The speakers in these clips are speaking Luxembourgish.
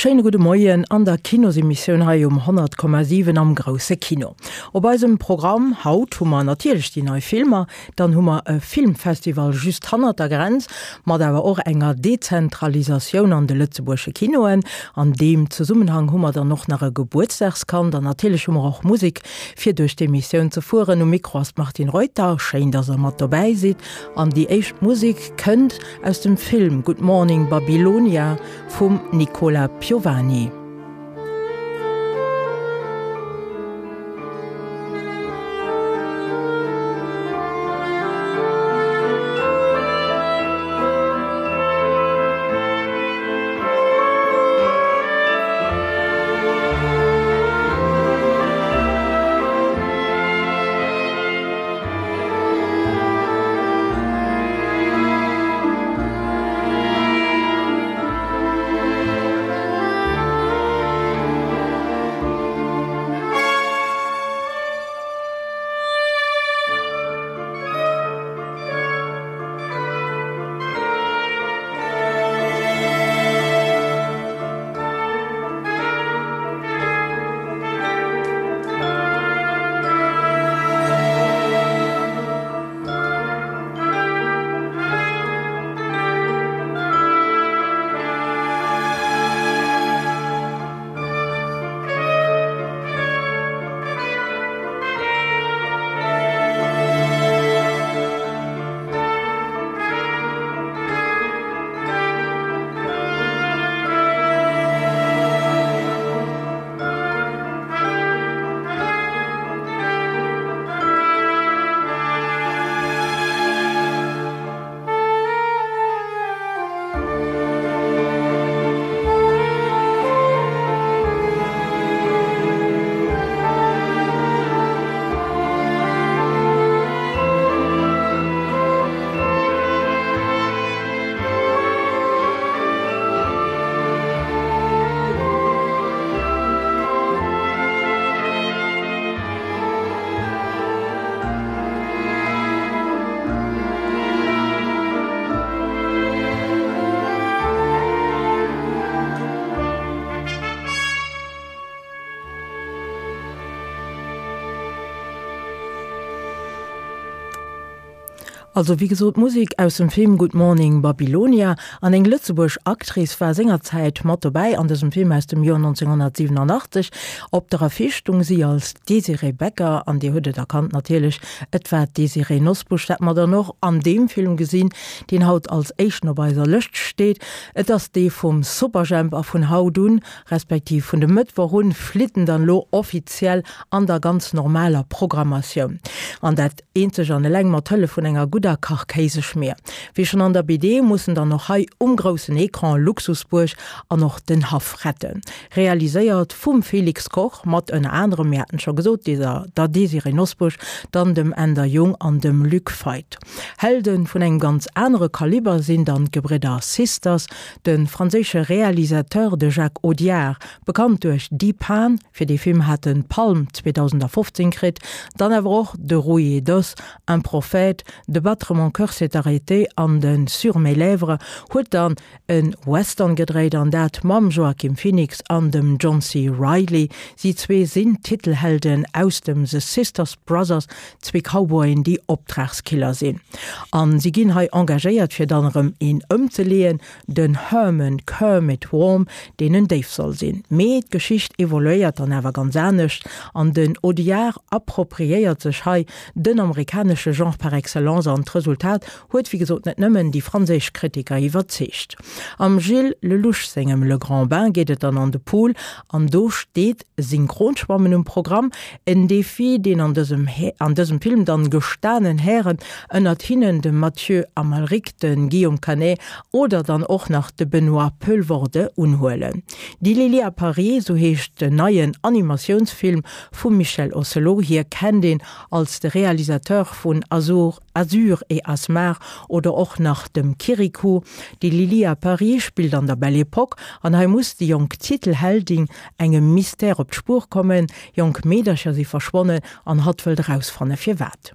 Schéine gudde Moien an der Kinosemissioun hei um 100,7 am grousse Kino. Op eisem Programm haut hu mer natierlech déi nei Filmer, dann hu mer e Filmfestival just hannert der Grenz, mat awer och enger Dezentralisatioun an de lëtzebuergesche Kinoen. An deem Zesummenhang hu mer dann och nach e Gebuertsdagskand an natierlech hu mer och Musek fir duerch d'Emissioun ze fueren. Um Mikro ass d'Martine Reuter. Schéin, dass der mat dobäi sidd. An déi éischt Musek kënnt aus dem Film Good Morning Babylonia vum Nicola Piovani. Also wéi gesot, Musek aus dem Film Good Morning Babylonia. An eng lëtzebuergesch Actrice war sengerzäit mat dobäi an dësem Film aus dem Joer 1987. Op der Affiche stung si als Désirée Becker an Dir hutt et erkannt natierlech, et war d'Désirée Nosbusch, dat mer dann och an deem Film gesinn, deen haut als éischten op eiser Lëscht steet. Et ass dee vum Superjhemp a vun haut un, respektiv vun de Mëttwoch un, flitt en dann elo offiziell an der ganz normaler Programmatioun. An dat Eenzeg an eleng mat Hëllef vun enger gudder Kachkéiseschmier. Wéi schonn an der BD mussen dann och hei um groussen Ecran Luxusbuerg an och den Haff retten. Realiséiert vum Felix Koch mat ënner anerem, mir haten et scho gesot, der der Désirée Nosbusch, dann dem Änder Jung an dem Luc Feit. Helde vun engem ganz anere Kaliber sinn dann d'Gebridder Sisters, de franséische Realisateur de Jacques Audiard, bekannt duerch Dheepan, Fir dee Film hat en d'Palm 2015 kritt, dann awer och de Rouillé d'os, Un prophète, De battre mon cœur s'est arrêté an de Sur mes lèvres, huet dann e Western gedréit an dat mam Joaquin Phoenix an dem John C. Reilly. Si zwee sinn d'Titelhelden aus dem The Sisters Brothers, zwee Cowboyen déi Optragskiller sinn an si ginn hei engagéiert fir dann erëm een ëmzeleeën. Den Herman Kermit Worm, deen en Déif soll sinn. Mee d'Geschicht evoluéiert dann awer ganz anescht an den Audiard appropriéiert sech hei den amerikanesche Genre par excellence an d'Resultat huet wéi gesot net nëmmen déi franséisch Kritiker iwwerzeegt. Am Gilles Lellouche sengem Le Grand Bain geet et dann an de Pool an do steet Synchronschwammen um Programm, en Defi, deen an dësem an dësem Film dann gestanen Hären, ënnert hinnen de Mathieu Amalric, de Guillaume Canet oder dann och nach de Benoît Poelvoorde unhuelen. Die Lili à Paris, sou heescht den neien Animatiounsfilm vum Michel Ocelot. Hie kennt een als de Realisateur vun Azur, Azur et Asmar oder och nach dem Kirikou. Die Lili à Paris spillt an der Belle Époque an hei muss déi jonk Titelheldin engem Mystère op d'Spuer kommen, jonk Meedercher si verschwonnen an hatt wëllt erausfanne firwat.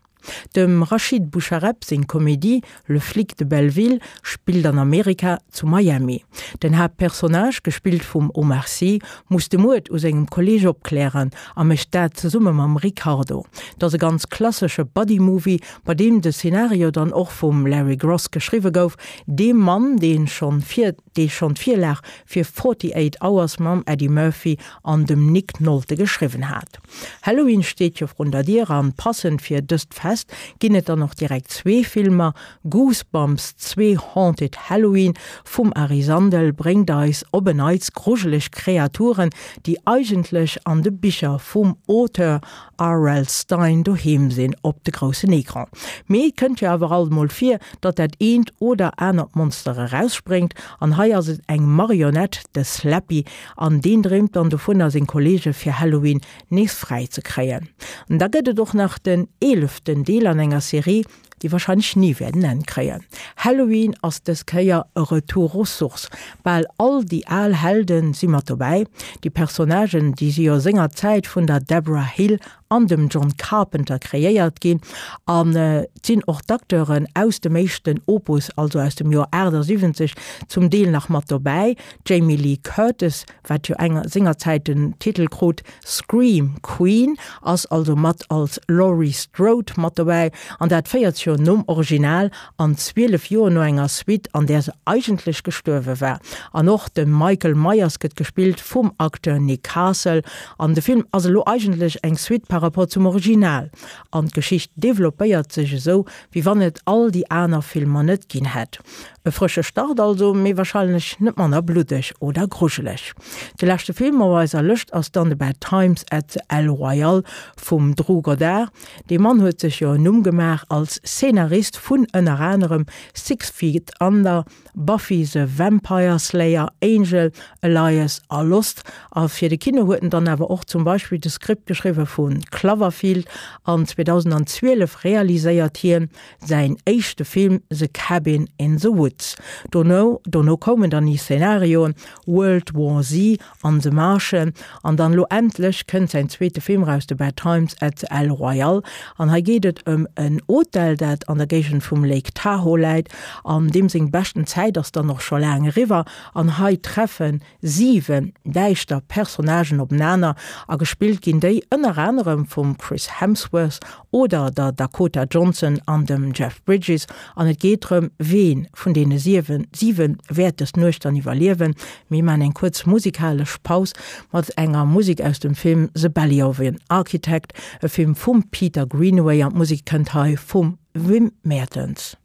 Dem Rachid Bouchareb seng Komedie Le flic de Belleville spillt an Amerika, zu Miami. Den Haaptpersonnage, gespillt vum Omar Sy, muss de Muerd u sengem Kolleeg opklären a mécht dat zesumme mam Ricardo. Et ass e ganz klassesche Buddy-Movie, bei deem de Szenario dann och vum Larry Gross geschriwwe gouf, deem Mann, dee schonn vir dee schonn d'Virlag fir 48 Hours mam Eddie Murphy an dem Nick Nolte geschriwwen hat. Halloween steet jo vrun der Dier an passend fir dëst Fest ginn et dann och direkt zwee Filmer, Goosebumps 2 Haunted Halloween vum Ari Sandel bréngt eis op en Neits grujeleg Kreaturen, déi eigentlech an de Bicher vum Auteur RL Stine doheem sinn, op de groussen Ecran. Mee et kënnt jo awer alt mol vir, datt dat eent oder anert Monster erausspréngt an hei ass et eng Marionett, de Slappy, an deen dreemt dann dovunner seng Kolleege fir Halloween nees fräi ze kréien. An da gëtt et och nach den eeleften Deel an enger Serie, déi warscheinlech ni wäert en Enn kréien. Halloween ass dës Kéier e Retour aux sources. Bal all déi al Helde si mat dobäi. Déi Personnagen, déi si jo sengerzäit vun der Debra Hill an dem John Carpenter kreéiert ginn an et sinn och d'Acteuren aus dem éischten Opus, also aus dem Joer 78, zum Deel nach mat dobäi. D'Jamie Lee Curtis, wat jo enger sengerzäit den Titel krut Scream Queen, ass also mat als Laurie Strode mat dobäi, an dat 40 Joer nom Original an 12 Joer no enger Suite, an där se eigentlech gestuerwe war. An och de Michael Myers gëtt gespillt vum Acteur Nick Castle. An de Film ass elo eigentlech eng Suite par rapport zum Original, an d'Geschicht developpéiert sech esou, wéi wann et all déi aner Filmer net ginn hätt. E frësche Start also, mee warscheinlech net manner bluddeg oder grujeleg. De leschte Film op eiser Lëscht ass dann The Bad Times at the El Royale vum Drew Goddard. Dee Mann huet sech jo en Numm gemaach als Szenarist vun ënner anerem Six Feet Under, Buffy the Vampire Slayer, Angel, Alias a Lost. A fir de Kino huet en dann awer och zum Beispill de Script geschriwwe vu Cloverfield an 2012 realiséiert hien säin éischte Film The Cabin in the Woods. Dono dono koumen dann ni Szenarioen World War Z an The Martian an dann elo endlech kënnt säin zweete Film raus The Bad Times at the El Royale an hei geet et ëm en Hotel dat an der Géigend vum Lake Tahoe läit an deem seng beschten Zäit ass dann och scho laang eriwwer an hei treffen 7 däischter Personnagen openaner a gespillt ginn déi ënner anerem vum Chris Hemsworth oder der Dakota Johnson an dem Jeff Bridges an et geet drëm, ween vun deene 7 siwe wäert dës Nuecht dann iwwerliewen. Mir maachen eng kuerz musikalesch Paus mat enger Musek aus dem Film The Belly of an Architect, e Film vum Peter Greenaway an d'Musek kënnt hei vum Wim Mertens.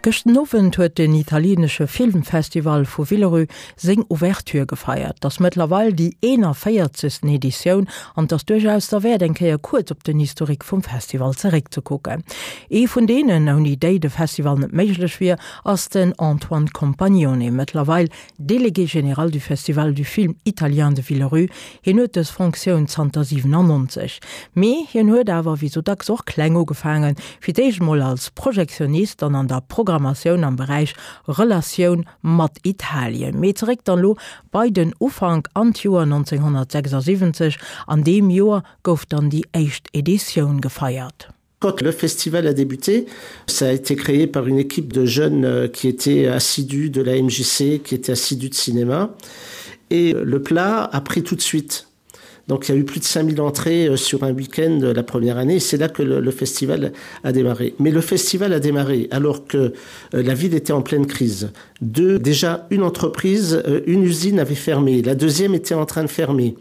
Gëschten Owend huet den italienesche Filmfestival vu Villerupt seng Ouverture gefeiert. 't ass mëttlerweil déi 41. Editioun an 't ass duerchaus derwäert eng Kéier kuerz op den Historique vum Festival zeréckzekucken. Ee vun deenen, ouni déi de Festival net méiglech wier, ass den Antoine Compagnone, mëttlerweil Délégué général du Festival du film italien de Villerupt. Hien huet dës Fonctioun zanter 97. Mee hien huet awer wéi sou dacks och kleng ugefaangen, fir d'éischt mol als Projektionist, dann an der Programmatioun am Beräich Relatioun mat Italien. Mee zeréck dann lo bei den Ufank an d'Joer 1976. An deem Joer gouf dann déi éischt Editioun gefeiert. Quand le festival a débuté, ça a été créé par une équipe de jeunes euh, qui étaient assidus de la MJC, qui étaient assidus de cinéma. Et le plat a pris tout de suite. Donc il y a eu plus de 5000 entrées euh, sur un week-end euh, la première année. C'est là que le, le festival a démarré. Mais le festival a démarré alors que la ville était en pleine crise. Deux, déjà une entreprise, une usine avait fermé. La deuxième était en train de fermer.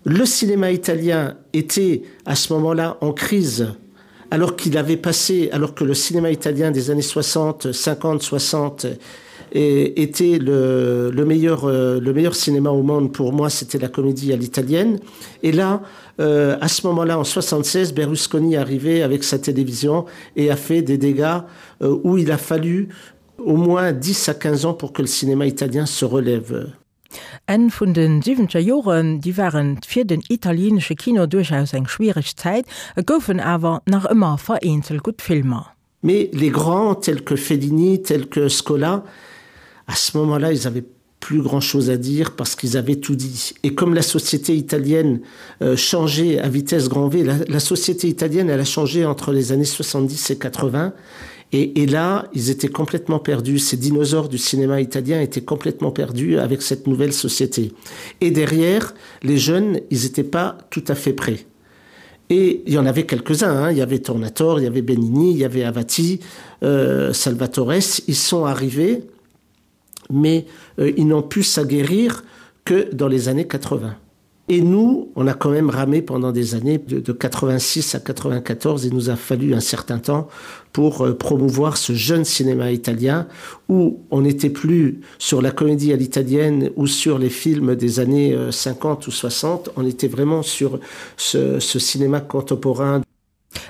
Le cinéma italien était à ce moment-là en crise alors qu'il avait passé alors que le cinéma italien des années 60 50 60 et était le, le meilleur euh, le meilleur cinéma au monde pour moi c'était la comédie à l'italienne et là euh, à ce moment là en 76 berlusconi arrivait avec sa télévision et a fait des dégâts euh, où il a fallu au moins 10 à 15 ans pour que le cinéma italien se relève Enn vun de siwwenzeger Joren, déi waren fir den italienesche Kino duerchaus eng schwiereg Zäit, et goufen awer nach ëmmer vereenzelt gutt Filmer. Mais les grands tels que Fellini, tels que Scola, à ce moment-là, ils avaient plus grand-chose à dire parce qu'ils avaient tout dit. Et comme la société italienne euh, changeait à vitesse grand V, la, la société italienne elle a changé entre les années 70 et 80 Et, et là, ils étaient complètement perdus. Ces dinosaures du cinéma italien étaient complètement perdus avec cette nouvelle société. Et derrière, les jeunes, ils n'étaient pas tout à fait prêts. Et il y en avait quelques-uns, hein. Il y avait Tornator, il y avait Benigni, il y avait Avati, euh, Salvatores. Ils sont arrivés, mais euh, ils n'ont pu s'aguerrir que dans les années 80. Et nous, on a quand même ramé pendant des années de, de 86 à 94, il nous a fallu un certain temps pour euh, promouvoir ce jeune cinéma italien où on n'était plus sur la comédie à l'italienne ou sur les films des années 50 euh, ou 60, on était vraiment sur ce, ce cinéma contemporain.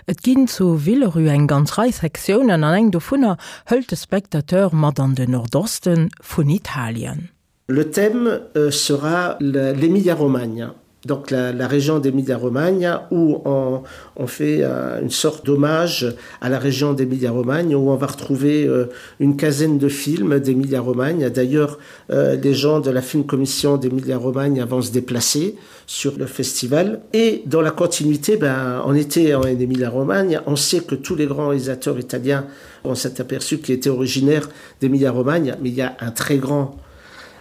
Et ginn zu Villerupt eng ganz Rei Sektiounen an eng dovunner hëlt de Spectateur mat an den Nordoste vun Italien. Le thème euh, sera l'Emilia Romagna donc la, la région d'Emilia Romagna où on, on fait euh, une sorte d'hommage à la région d'Emilia Romagna où on va retrouver euh, une quinzaine de films d'Emilia Romagna. D'ailleurs, euh, les gens de la film commission d'Emilia Romagna vont se déplacer sur le festival. Et dans la continuité, ben, on était en Emilia Romagna, on sait que tous les grands réalisateurs italiens on s'est aperçu qu'ils étaient originaires d'Emilia Romagna, mais il y a un très grand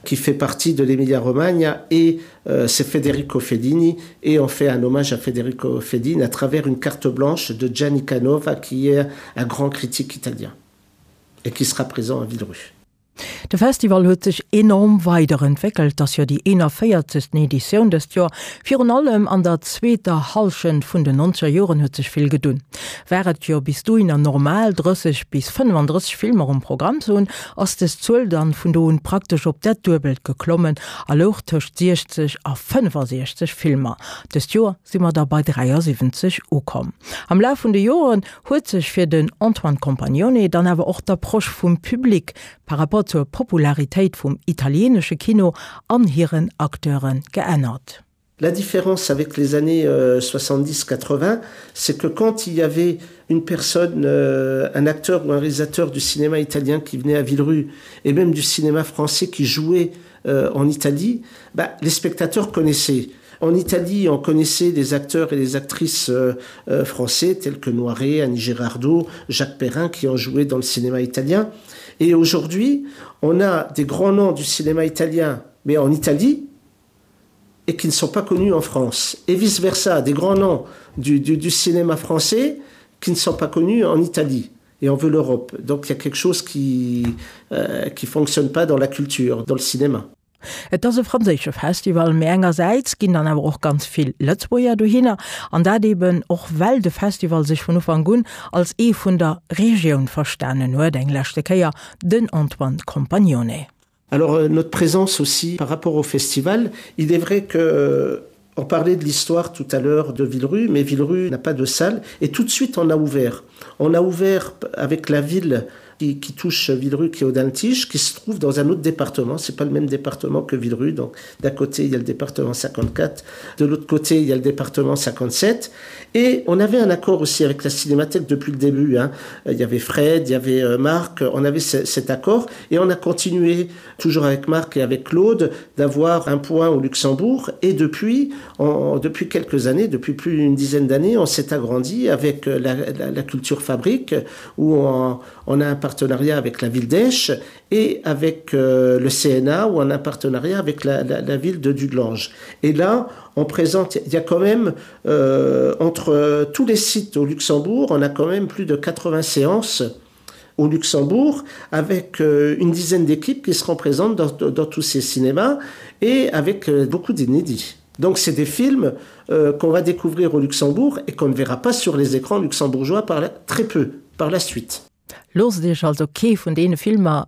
qui fait partie de l'Emilia Romagna et euh, c'est Federico Fellini et on fait un hommage à Federico Fellini à travers une carte blanche de Gianni Canova qui est un grand critique italien et qui sera présent à Villerue. De Festival huet sech enorm weiderentwéckelt, ass jo déi 41. Editioun dëst Joer. Virun allem an der zweeter Hallschent vun den nonzeger Joren huet sech vill gedunn. War et jo bis dohinner normal 30 bis 35 Filmer um Programm ze hunn, ass des Zuel dann vun do un praktesch op dat Duebelt geklommen a louch tëscht 60 a 65 Filmer. Dëst Joer si mer da bei 73 ukomm. Am Laf vun de Joren huet sech fir den Antoine Compagnone dann awer och d'Approche vum Public par rapport zur Popularitéit vum italienesche Kino an hiren Acteure geännert. La différence avec les années euh, 70-80, c'est que quand il y avait une personne, euh, un acteur ou un réalisateur du cinéma italien qui venait à Villerue et même du cinéma français qui jouait euh, en Italie, bah, les spectateurs connaissaient. En Italie, on connaissait des acteurs et des actrices euh, euh, français tels que Noiret, Annie Girardot, Jacques Perrin qui ont joué dans le cinéma italien. Et aujourd'hui, on a des grands noms du cinéma italien, mais en Italie, et qui ne sont pas connus en France. Et vice-versa, des grands noms du, du, du cinéma français qui ne sont pas connus en Italie. Et on veut l'Europe. Donc il y a quelque chose qui ne euh, qui fonctionne pas dans la culture, dans le cinéma. Et ass e franséische Festival, mee engersäits ginn dann awer och ganz vill Lëtzebuerger dohinner, an dat eben och well de Festival sech vun Ufank un als ee vun der Regioun verstanen huet. Eng leschte Kéier den Antoine Compagnone. Alors euh, notre présence aussi par rapport au festival, il est vrai que euh, on parlait de l'histoire tout à l'heure de Villerue, mais Villerue n'a pas de salle et tout de suite on a ouvert. On a ouvert avec la ville qui, qui touche Villerue qui est au Dantige, qui se trouve dans un autre département. C'est pas le même département que Villerue. Donc d'un côté il y a le département 54, de l'autre côté il y a le département 57. Et on avait un accord aussi avec la cinémathèque depuis le début. Hein. Il y avait Fred, il y avait euh, Marc, on avait ce, cet accord et on a continué toujours avec Marc et avec Claude d'avoir un point au Luxembourg et depuis on, depuis quelques années, depuis plus d'une dizaine d'années, on s'est agrandi avec euh, la, la, la culture fabrique où on, on a un partenariat avec la ville d'Esch et avec euh, le CNA où on a un partenariat avec la, la, la ville de Dudelange. Et là, on présente il y a quand même euh, entre euh, tous les sites au Luxembourg, on a quand même plus de 80 séances au Luxembourg avec euh, une dizaine d'équipes qui seront présentes dans, dans, dans tous ces cinémas et avec euh, beaucoup d'inédits. Donc c'est des films euh, qu'on va découvrir au Luxembourg et qu'on ne verra pas sur les écrans luxembourgeois par la, très peu par la suite. Loosst Iech also kee vun deene Filmer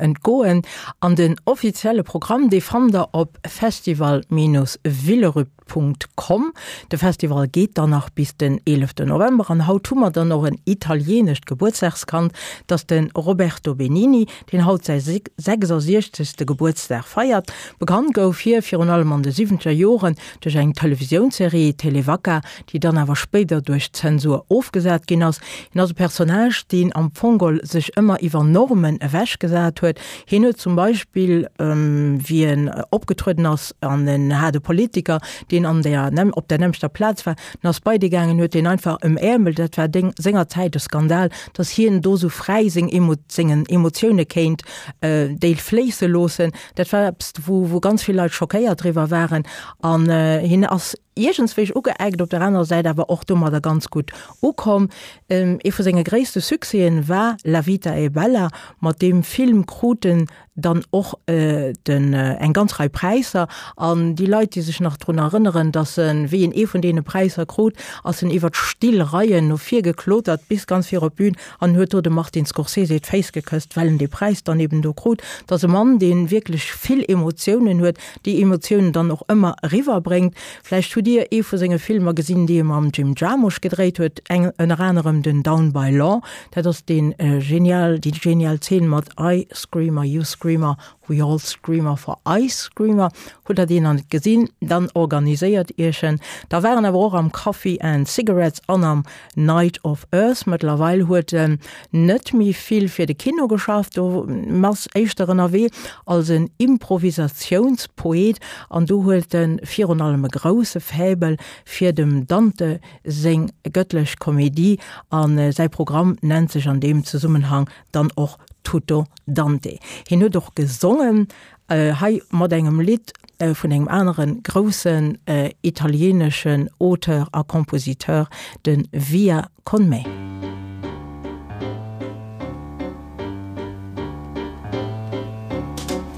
entgoen an den offizielle Programm dee fannt der op festival-villerupt.com. De Festival geet dann nach bis den 11 November an haut hu mer dann och en italieenescht Gebuertsdagskand, 't ass de Roberto Benigni, deen haut säi 66. Gebuertsdag feiert. Bekannt gouf hie virun allem an de siwwenzeger Joren duerch eng Televisiounsserie Televacca, déi dann awer spéider duerch d'Zensur ofgesat ginn ass. Hien ass e Personnage, deen am Fong geholl sech ëmmer iwwer Normen ewechgesat huet. Hien huet zum Beispill, wéi en opgetrueden ass, an en hat e Politiker, deen an der, op der nämmlechter Plaz war, en ass bei dee gaangen, huet deen einfach ëmäermelt. Dat war déng, sengerzäit e Skandal, datt hien do sou fräi seng Emo, sengen Emotioune kéint déi fléisse loossen. Dat war eppes, wou, wou ganz vill Leit schockéiert driwwer waren. An hien ass iergendswéi ugeeckt, op der anerer Säit awer och domadder ganz gutt ukomm. Ee vu senge gréisste Succèsen war La vita è bella. Mat deem Film krut en dann och den eng ganz Rei Präisser. An déi Leit, déi sech nach drun erënneren, datt en, wéi en ee vun deene Präisser krut, ass en iwwer d'Stillreien no vir geklotert bis ganz vir op d'Bün an huet do dem Martin Scorsese d'Féiss gekësst, well en dee Präis dann eben do krut. Et ass e Mann, dee wierklech vill Emotiounen huet, déi Emotiounen dann och ëmmer eriwwer bréngt. Vläicht hutt Dir ee vu senge Filmer gesinn, déi e mam Jim Jarmusch gedréit huet, eng ënner anerem den Down by Law. Dat ass dee genial, déi genial Zeen mat I screamer, you screamer, we all screamer for Ice Screamer. Hutt Der deen nach net gesinn, dann organiséiert Iech en. Da war en awer och am Coffee and Cigarettes an am Night of Earth. Mëttlerweil huet en net méi vill fir de Kino geschafft, do ass éischter ënnerwee als en Improvisatiounspoet an do huet en virun allem e grousse Faible fir dem Dante seng Gëttlech Komedie a säi Programm nennt sech an deem Zesummenhang dann och Tutto Dante. Hien huet och gesongen, hei mat engem Lidd vun engem anere groussen italieeneschen Auteur a Kompositeur, de Via con me.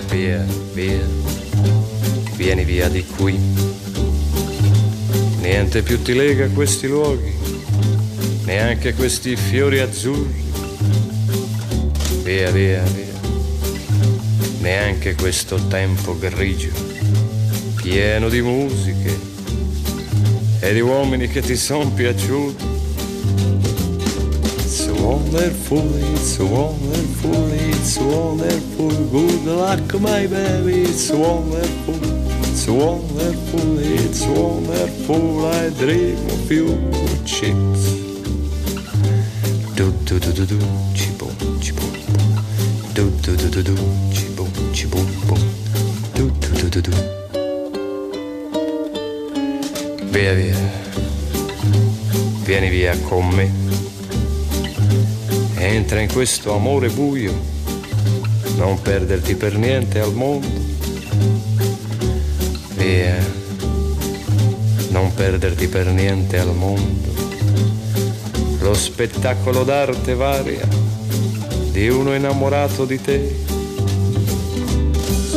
Via, via, vieni via di qui. Niente più ti lega a questi luoghi, neanche questi fiori azzurri. Via, via, via neanche questo tempo grigio, pieno di musiche e di uomini che ti son piaciuti. It's wonderful, it's wonderful, it's wonderful, good luck my baby, it's wonderful, it's wonderful, it's wonderful, I dream of you, chips. Du du du du du, chi bum, chi bum, du du du du du, chi bum, chi bum bum, du du du du du. Via via, vieni via con me. Entra in questo amore buio, non perderti per niente al mondo. Via, non perderti per niente al mondo. Lo spettacolo d'arte varia di uno innamorato di te.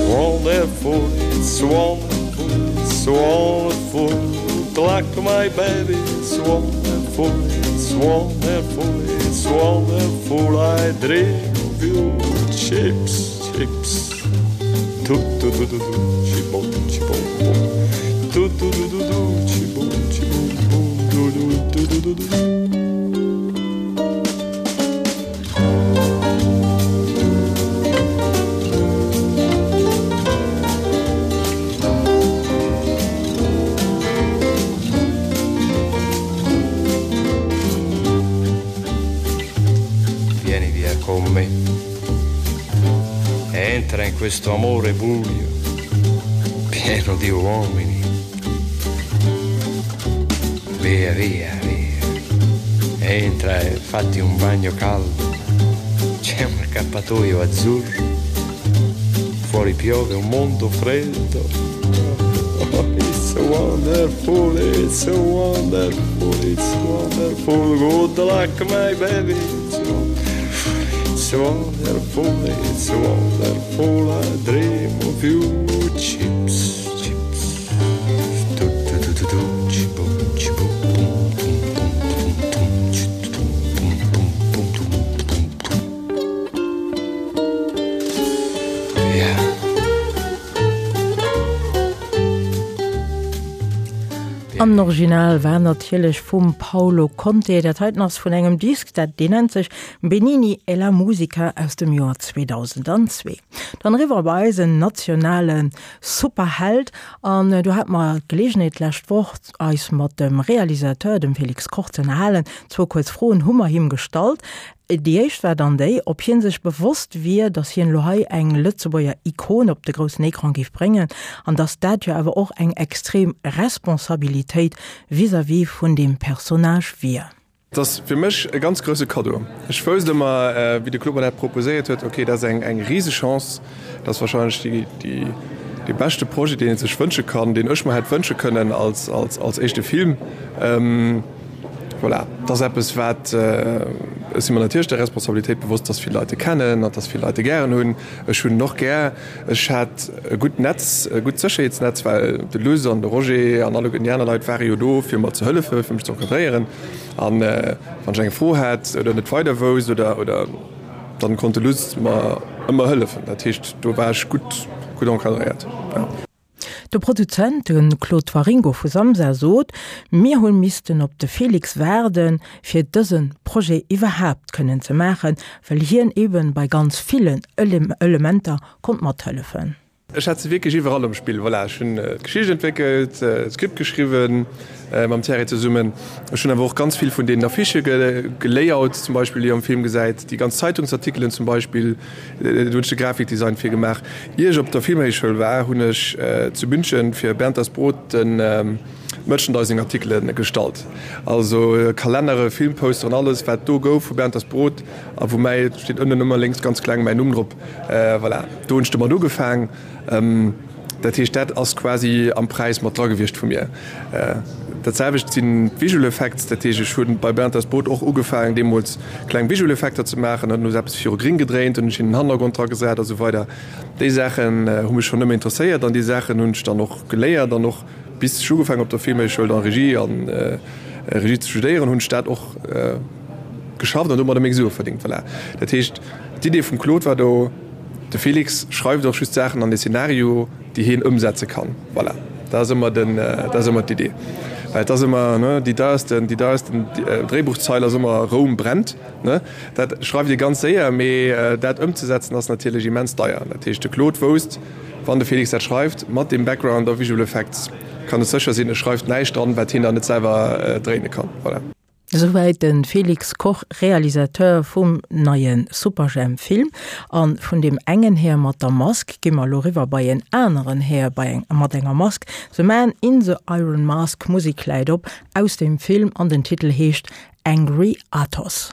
wonderful, it's wonderful, it's wonderful. Good luck, my baby, it's wonderful, it's wonderful, it's wonderful. I dream of you, chips, chips. Tu tu tu tu tu, chi bom, chi bom bom. Tu tu tu tu tu, chi bom, chi bom bom. Du du du du du du. Vieni via con me. Entra in questo amore buio, pieno di uomini. Via, via, via. Entra e fatti un bagno caldo. C'è un accappatoio azzurro. Fuori piove un mondo freddo. Oh, it's wonderful, it's wonderful, it's wonderful. Good luck, my baby. It's wonderful, it's wonderful, it's wonderful. I dream of you, chips, chips. Du, du, du, du, du, chi, boom, chi, boom, boom, boom, boom, boom, boom, chi, boom, boom, boom, boom, boom, boom, boom. Yeah. An den Original war natierlech vum Paolo Conte. Dat heiten ass vun engem Disk, dat deen nennt sech Benigni e la musica aus dem Joer 2002. Dann eriwwer bei eisen nationale Superheld. An do hate mer d'Geleegenheet d'lescht Woch eis mat dem Realisateur, dem Félix Koch, ze ënnerhalen. Zwou kuerz Froen hu mer him gestallt. Déi éischt war dann déi, ob hie sech bewosst wier, datt hien elo hei eng Lëtzebuerger Ikon op de groussen Ecran géif bréngen an datt dat jo awer och eng extrem Responsabilitéit vis-à-vis vun deem Personnage wier. Et ass fir mech e ganz grousse Kaddo. Ech wousst ëmmer, wéi de Claude mer dat proposéiert huet, ok, dat ass eng eng Risechance, dat ass warscheinlech déi déi dee beschte Projet, deen ee sech wënsche kann, deen ech mer hätt wënsche kënnen als als als éischte Film. Voilà, dat ass eppes wat, ech si mer natierlech der Responsabilitéit bewosst, dass vill Leit e kennen an dass vill Leit e gären hunn. Ech hunn en och gär. Ech hat e gutt Netz, e gutt Sécherheetsnetz, well de Luss an de Roger an alleguerten déi aner Leit ware jo do, fir mer ze hëllefen, fir mech ze encadréieren. An wann ech eng Fro hat oder net weider wousst oder, oder dann konnt de Luss mer ëmmer hëllefen. Dat heescht, do war ech gutt, gutt encadréiert, jo. De Produzent, de Claude Waringo vu Samsa, sot, Mir hu missten op de Félix waarden, fir dëse Projet iwwerhaapt kënnen ze maachen, well hien eebe bei ganz villen Elementer konnt mathëllefen. Ech hat se wierklech iwwerall am Spill. Voilà, ech hunn d'Geschicht entwéckelt, d'Script geschriwwen mam Thierry zesummen. Ech hunn awer och ganz vill vun deenen Affichë gelayoutet zum Beispill, déi Dir am Film gesäit, déi ganz Zeitungsartikelen zum Beispill. Do hunn ech de Grafikdesign fir gemaach. Ier ech op der Filmhéichschoul war, hunn ech zu München fir Bernd das Brot de Merchandising-Artikele gestallt. Also Kalennere, Filmposteren, alles wat do gouf vu Bernd das Brot a wou mäi, steet ënnen ëmmer lénks ganz kleng mäin Numm drop. Voilà, do hunn ech domat ugefaang. Dat heescht, dat ass quasi am Präis mat dra gewiescht vu mir. Dat selwecht sinn d'Visual Effects. Dat heescht, ech hu bei Bernd das Brot och ugefaangen, deemools kleng Visual Effekter ze maachen. Dann hu se eppes viru gring gedréint, dann hunn ech hinnen den Hannergrond dra gesat a sou weider. Déi Saachen hu mech schonn ëmmer interesséiert an déi Saachen hunn ech dann och geléiert an och bis ech ugefaangen op der Filmhéichschoul dann Regie an Regie ze studéieren, hunn ech dat och geschafft an domadder meng Sue verdéngt. Voilà. Dat heescht, d'Idee vum Claude war do, De Félix schreift och just Saachen an de Szenario, déi heen ëmsetze kann. Voilà, dat ass ëmmer den, dat ass ëmmer d'Idee. Well et ass ëmmer, ne, déi deiersten, déi deiersten Dréibuchzeil ass ëmmer Roum brennt, ne. Dat schreift ee ganz séier, mee dat ëmzesetzen ass natierlech immens deier. Dat heescht, de Claude wousst, wann de Félix dat schreift, mat deem Background a Visual Effects, kann e sécher sinn, e schreift näischt dran, wat hien dann net selwer dréine kann. Voilà. Esouwäit de Félix Koch, Realisateur vum neie Superjhemp-Film. A vun deem engen Här mat der Mask gi mer elo eriwwer bei en aneren Här bei eng mat enger Mask. The Man in the Iron Mask, Musek läit op aus dem Film an den Titel heescht Angry Athos.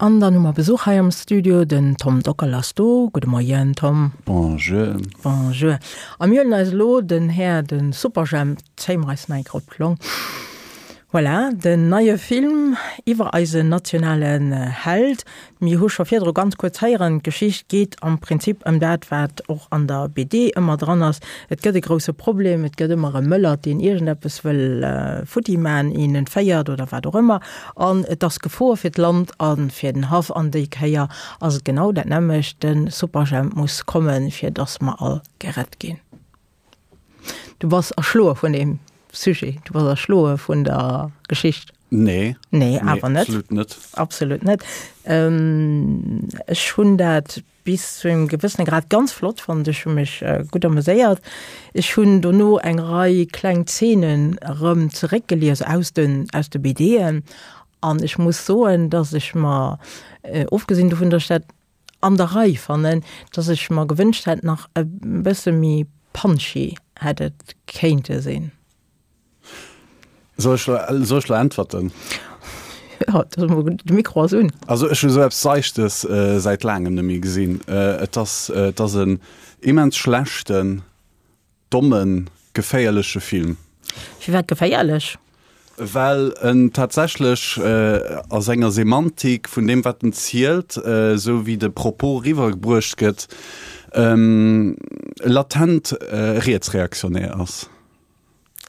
An dann hu mer Besuch hei am Studio, den Tom Dockal ass do. Gudde Moien, Tom. Bonjour. Bonjour. A mir huelen eis elo den Här, de Superjhemp, zéie mer eis nach eng Kéier op d'Long. Voilà, den neie Film iwwer eisen nationalen Held. Mir hu scho virdru ganz kuerz héieren, d'Geschicht geet am Prinzip ëm dat, wat och an der BD ëmmer dran ass, Et gëtt e grousse Problem, et gëtt ëmmer e Mëllert, deen iergendeppes wëll futti man, een entféiert oder wat och ëmmer, an et ass Gefor fir d'Land a fir den Haff. An déi Kéier ass et genau dat nämmlecht, de Superjhemp muss kommen, fir dass mer all gerett ginn. Du bass erschloe vun deem Sujet, du bass erschloe vun der Geschicht. Nee. Nee, awer net. Absolut net. Absolut net. Ähm, ech hunn dat bis zu engem gewëssene Grad ganz flott fonnt. Ech hu mech äh, gutt ameséiert. Ech hunn dono eng Rei kleng Zeenen erëm zeréckgelies aus den, aus de BDen. An ech muss soen, dass ech mer, äh, ofgesinn dovun, dass ech dat an der Rei fannen, dass ech mer gewënscht hätt nach e bësse méi punchy hätt et kéinte sinn. Soll ech lo, soll ech lo äntwerten? Ja, de Mikro ass un. Also ech hu sou eppes Seichtes säit laangem net méi gesinn. Et ass, et ass en immens schlechten, Dommen, geféierleche Film. Firwat geféierlech? Well en tatsächlech a senger Semantik vun deem wat en zielt, esou wéi de Propos eriwwergebruecht gëtt, latent rietsreaktionär ass.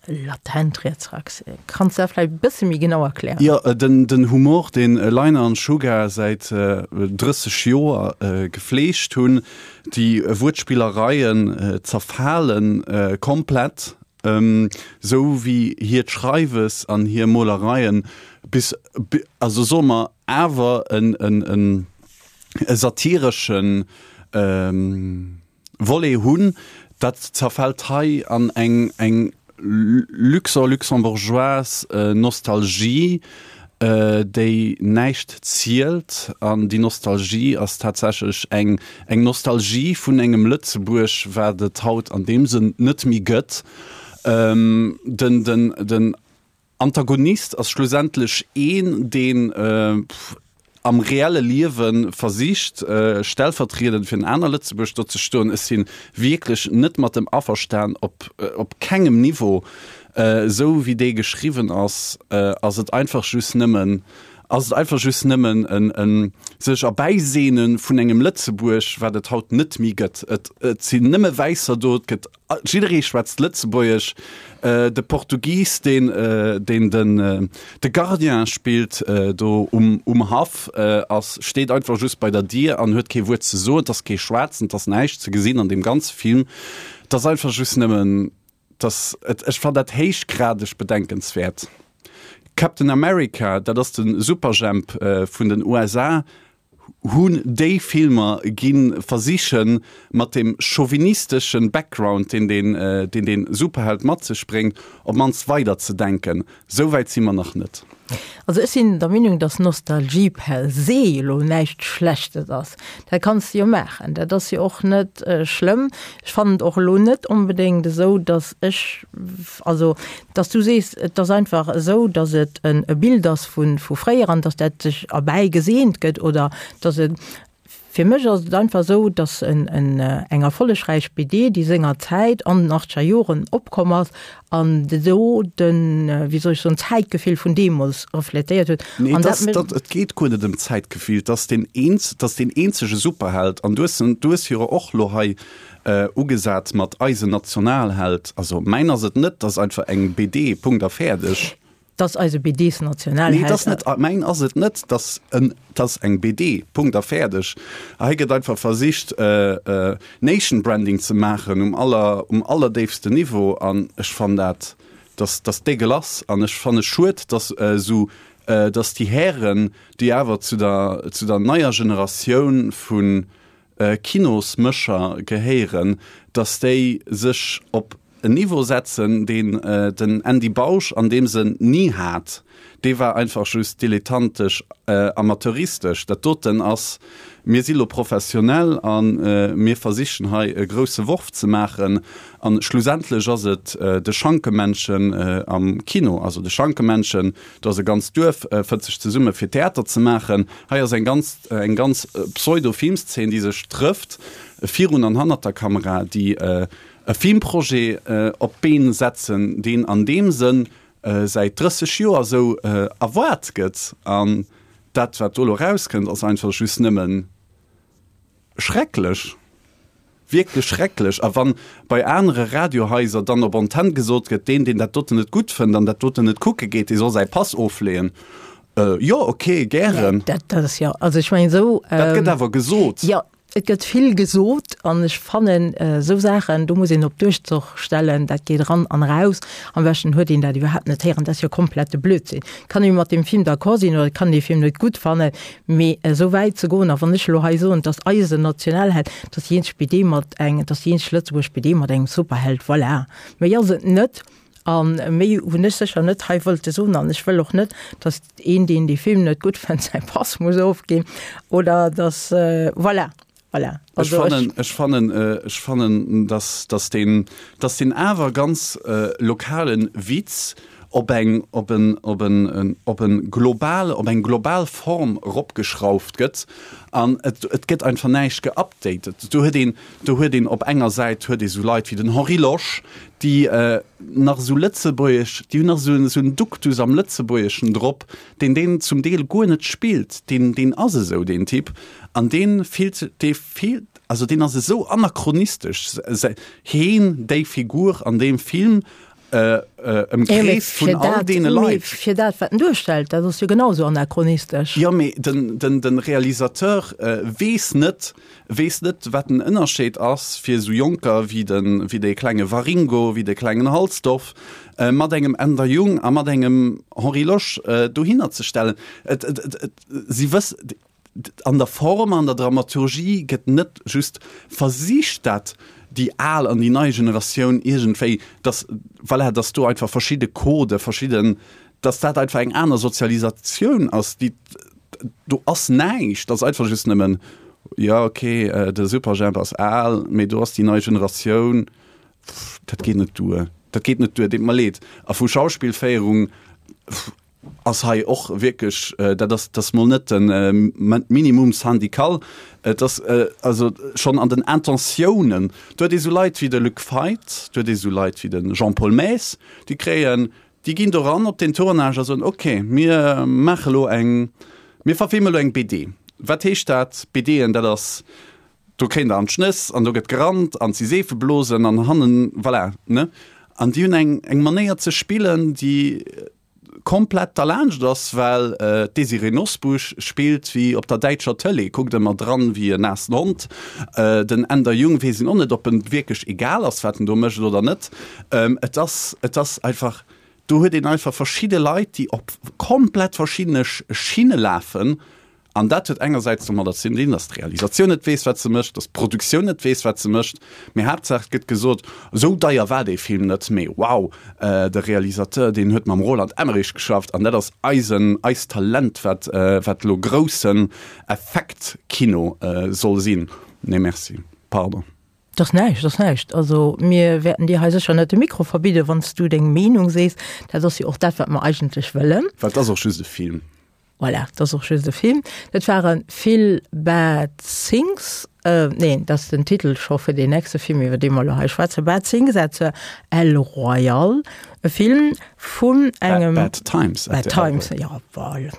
Latent rietsreaktionär. Kanns du dat vläicht e bësse méi genau erklären? Jo, den Humor, deen Leiner an Sugar säit 30 Joer gefleegt hunn, Déi Wuertspillereien zerfale komplett, sou wéi hiert Schreiwes an hir Molereien bis, also soe mer awer e satireschen Volet hunn, dat zerfält hei an eng luxo-luxembourgeoise Nostalgie, déi näischt zielt. An déi Nostalgie ass tatsächlech eng eng Nostalgie vun engem Lëtzebuerg, wat et haut an deem Sënn net méi gëtt. Den, den, den Antagonist ass schlussendlech een, deen am reelle Liewe versicht, stellvertriedend fir en aner Lëtzebuerg do ze stoen. Ech si wierklech net mat dem averstan, op, op kengem Niveau. Esou wéi dee geschriwwen ass, ass et einfach just nëmmen, ass et einfach just nëmmen en, en sech erbäiseene vun engem Lëtzebuerg, wat et haut net méi gëtt. Et, et sinn nëmme Wäisser do, et gëtt Jidderee schwätzt Lëtzebuergesch. De Portugis, deen deen den de Gardien spillt do um um Haff, ass steet einfach just bei der Dier an huet kee Wuert ze soen. Et ass kee Schwaarzen, et ass näischt ze gesinn an deem ganze Film. Et ass einfach just nëmmen, et ass, et ech fannen dat héichgradeg bedenkenswäert. Captain America, dat ass de Superjhemp vun den USA, hunn déi Filmer gi versichen, mat dem chauvinisteschen Background, deen deen deen deen Superheld mat sech bréngt, op mannst weider ze denken. Sou wäit si mer nach net. Also ech sinn der Meenung, dass Nostalgie per se elo näischt Schlechtes ass. Dat kanns de jo maachen, dat ass jo och net schlëmm. Ech fannen et och elo net onbedéngt esou, dass ech, also Dass du sees, et ass einfach esou, dass et e Bild ass vu fréier an dass dat sech erbäi geseent gëtt oder dass et, fir mech ass et einfach esou, dass eng erfollegräich BD, déi senger Zäit an den achtzeger Joren opkomm ass an do den, wéi soll ech soen, d'Zäitgefill vun deemools refletéiert huet. Nee, et ass, et geet guer net ëm d'Zäitgefill, et ass deen eenzege Superheld an du hues jo och elo hei Ugesat mat eisen Nationalheld. Also mäin ass et net, 't ass einfach eng BD, Punkt a fäerdeg. 't ass eise BDs-Nationalheld. Nee, 't ass net, mäin ass et net, 't ass en, 't ass eng BD, Punkt a fäerdeg. Hei gëtt einfach versicht Nation Branding ze maachen um aller, um allerdéifsten Niveau an ech fannen dat, dass, dass dégueulasse an ech fanne schued, dass esou, dass déi Hären, déi awer zu der, zu der neier Generatioun vun Kinosmécher gehéieren, datt déi sech op. en Niveau setzen, deen den Andy Bausch an deem Sënn ni hat. Dee war einfach just dilettantesch, amateuristesch. Dat doten ass, mir si lo professionell a mir versichen hei e grousse Worf ze maachen. A schlussendlech ass et de Schankemännchen am Kino. Also de Schankemännchen, do ass e ganzt Duerf, fënnt sech zesumme fir Theater ze maachen. Hei ass eng ganz, eng ganz Pseudo-Filmszeen, déi sech trëfft virun an hannert der Kamera, déi e Filmprojet op d'Been setzen, deen an deem Sënn säit 30 Joer esou erwaart gëtt. An dat, wat do elo erauskënnt, ass einfach just nëmme schrecklech, wierklech schrecklech. A wann bei anere Radiohaiser dann op Antenn gesot gëtt, deen, deen dat doten net gutt fënnt an dat doten net kucke geet, dee soll säi Pass ofleeën, jo, okay, gären. Dat ass jo, also ech mengen esou. Dat gëtt awer gesot. Jo. Et gëtt vill gesot an ech fannen esou Saachen, do muss een op Duerchzoch stellen, dat geet eran an eraus. Am beschten huet een dat iwwerhaapt net héieren, dat ass jo komplette Blödsinn. Kann ee mat deem Film d'accord sinn oder kann dee Film net gutt fannen, mee esou wäit ze goen, a wann ech elo hei soen, dass eisen Nationalheld, dass déi eenzeg BD mat eng, dass déi eenzeg Lëtzebuergesch BD mat engem Superheld, voilà, méi ass et net. A méi hunn ech sécher net hei wollte soen. An ech wëll och net, datt een, deen dee Film net gutt fënnt, säi Pass muss ofginn oder datt, voilà, voilà. Ech fannen, ech fannen, ech fannen, datt, datt deen, datt deen awer ganz lokale Witz op eng, op en, op en, op en global, op eng global Form eropgeschrauft gëtt an et, et gëtt einfach näischt geupdatet. Do huet een, Do huet een op enger Säit huet ee sou Leit wéi den Henri Losch, déi nach esou Lëtzebuergesch, déi hunn nach esou esou en Duktus am Lëtzebuergeschen drop, deen deen zum Deel guer net spillt. Deen, deen ass esou deen Typ an dee fillt, dee fillt, also deen ass esou anachronistesch, heen, déi Figur an deem Film, ëmkreest vun all deene Leit. Fir dat, wat en duerstellt, dat ass jo genau esou anachronistesch. Jo, mee den, den, den Realisateur weess net, weess net, wat den Ënnerscheed ass fir esou Jonker wéi den, wéi dee klenge Waringo, wéi de klengen Halsdorf, mat engem Änder Jung a mat engem Henri Losch dohinner ze stellen. Et, et, et, et, si wëss, An der Form, an der Dramaturgie gëtt net just versicht, dat déi al an déi nei Generatioun iergendwéi, dass, voilà, dass do einfach verschidde Codë, verschidden, dass dat einfach eng aner Sozialisatioun ass, déi, do ass näischt, dat ass einfach just nëmmen, jo okay, de Superjhemp ass al, mee do ass déi nei Generatioun, dat geet net duer, dat geet net duer, deet mer leed. A vu Schauspillféierung, ass hei och wierklech, dat ass, dat ass mol net de Minimum syndical, et ass also schonn an den Intentiounen, do huet ee sou Leit wéi de Luc Feit, do huet ee sou Leit wéi de Jean-Paul Maes, déi kréien, déi ginn do ran op den Tournage a soen, okay, mir maache lo eng, mir verfilme lo eng BD. Wat heescht dat, BDen, dat ass, do kréien der an d'Schnëss an do gëtt gerannt an si Seefeblosen an hannen, voilà, ne? An déi hunn eng, eng Manéier ze spillen, déi komplett derlaanscht ass, well d'Désirée Nosbusch spillt wéi op der däitscher Tëlee, kuckt ëmmer dran wéi en naassen Hond. Den Änder Jung weess een och net, ob en wierklech egal ass, wat en do mécht oder net. Et ass, et ass einfach, do huet een einfach verschidde Leit, déi op komplett verschiddene Schinne lafen An dat huet engersäits domadder ze dinn, datt d'Realisatioun net weess, wat se mécht, datt d'Produktioun net weess, wat se mécht, mee Haaptsaach et gëtt gesot, esou deier war dee Film net, mee wow, de Realisateur, deen huet mam Roland Emmerich geschafft an dat ass eisen, eist Talent, wat, wat elo groussen Effektkino soll sinn. Nee, merci, pardon. 't ass näischt, 't ass näischt. Also mir wäerten dir hei sécher net de Mikro verbidden, wann s du deng Meenung sees. Dat ass jo och dat, wat mer eigentlech wëllen. Well 't ass och just e Film. Voilà, dat ass och just e Film. Dat ware Vill Bad Things, neen, dat ass den Titel scho fir deen nächste Film, iwwer dee mer elo hei schwätzen, Bad Things at the El Royale, e Film vun engem. Bad Times at the El Royale. Bad Times, ja, voilà.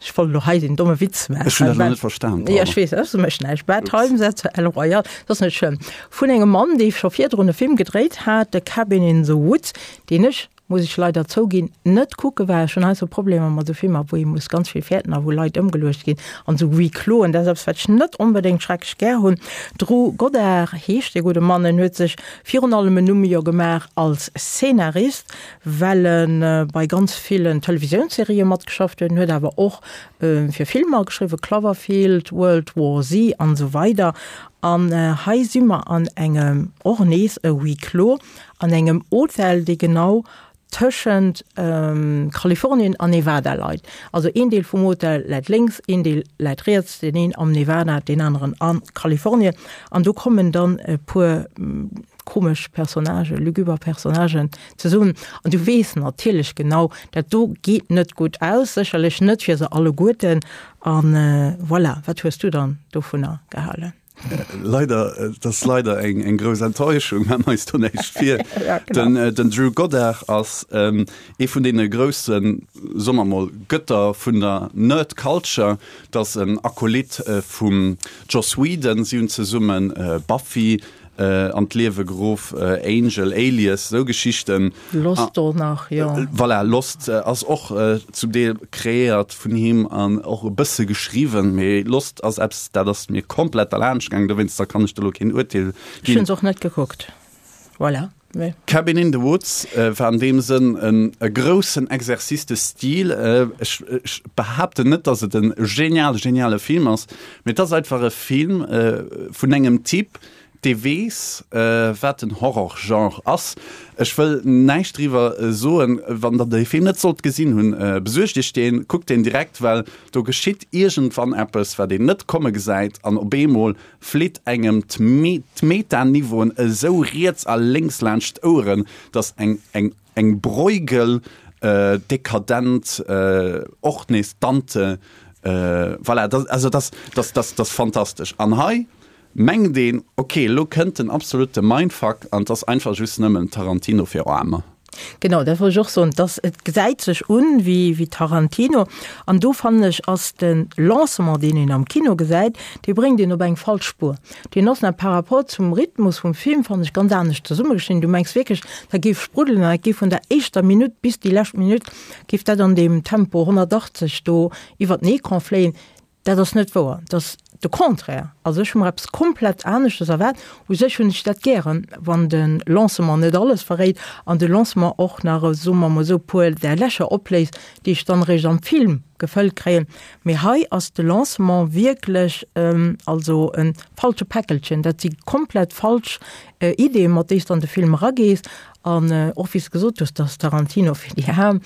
Ech wollt elo hei den domme Witz maachen. Ech hunn dat elo net verstan, pardon. Ja, ech weess, dat mécht näischt. Bad Times at the El Royale, dat ass net schlëmm. Vun engem Mann, dee scho virdrun e Film gedréit hat, The Cabin in the Woods, deen ech. Muss ech leider zouginn, net kucke well ech hunn heiansdo Problemer mat esou Filmer, wou ee muss ganz vill fäerten a wou Leit ëmgeluecht ginn an esou Huis closen. Dat ass eppes, wat ech net onbedéngt schrecklech gär hunn. Drew Goddard heescht dee gudde Mann. En huet sech virun allem en Numm jo gemaach als Szenarist, well e bei ganz villen Televisiounsserië matgeschafft huet. En huet awer och fir Filmer geschriwwen, Cloverfield, World War Z an esou weider. An hei si mer an engem, och nees e Huis clos, an engem Hotel, dee genau tëschent Kalifornien an Nevada leit. Also een Deel vum Hotel läit lénks, een Deel läit riets, deen een am Nevada, deen aneren a Kalifornien. An do kommen dann e puer komesch Personnagen, luguber Personnagen zesummen. An du weess natierlech genau, dat do geet net gutt aus, sécherlech net fir se alleguerten. An voilà, wat hues du dann dovunner gehalen? Leider, et ass leider eng, eng grouss Enttäuschung, maache mer eis do näischt vir. Ja, genau. Den, äh, den Drew Goddard ass ähm, ee vun deene groussen, soe mer mol, Gëtter vun der Nerd Culture. Dat ass en Acolyt äh, vum Joss Whedon. Si hunn zesummen äh, Buffy äh, an d'Liewe geruff, äh, Angel, Alias, esou Geschichten. Lost och nach, jo. Voilà, Lost ass och zum Deel kreéiert vun him an och e bësse geschriwwen, mee Lost ass eppes, dat ass mir komplett derlaanscht gaangen, dowéinster kann ech do elo keen Urteel ginn. Ech hunn se och net gekuckt, voilà. Mee. Cabin in the Woods war an deem Sënn en e groussen Exercice de style. Ech ech behaapten net, datt et e geniale, geniale Film ass, mee et ass einfach e Film vun engem Typ, Dee weess, wat den Horror-Genre ass. Ech wëll näischt driwwer soen. Wann der dee Film net sollt gesinn hunn, besuergt iech deen, kuckt deen direkt, well do geschitt iergendwann eppes, wat een net komme gesäit, an op eemol flitt engem d'Meta-Niveauen esou riets a lénks laanscht d'Oueren, dass eng eng eng Bruegel dekadent och nees Dante, voilà, also dat ass dat ass fantastesch. An hei Mengt een, ok, elo kënnt den absolute Mindfuck an 't ass einfach just nëmmen Tarantino fir Aarmer. Genau, dat wollt ech och soen, dass et gesäit sech un wéi wéi Tarantino an do fannen ech ass de Lancement, deen een am Kino gesäit, dee bréngt een op eng falsch Spuer. Deen ass nach par rapport zum Rhythmus vum Film, fannen ech, ganz anescht zesummegeschnidden. Du mengs wierklech, dat géif spruddelen an dat géif vun der éischter Minutt bis déi lescht Minutt géif dat an deem Tempo 180 do iwwer den Ecran fléien. Dat ass net wouer, dat ass de Contraire. Also ech hu mer eppes komplett aneschtes erwaart. U sech hunn ech dat gären, wann de Lancement net alles verréit an de Lancement och nach, soe mer emol esou, e puer där Lächer opléist, déi ech dann eréischt am Film gefëllt kréien. Mee hei ass de Lancement wierklech also e falsche Päckelchen. Dat si komplett falsch Ideeën, mat déi s de an de Film eragees. An och wéi s de gesot hues, dass Tarantino fir déi Aarm,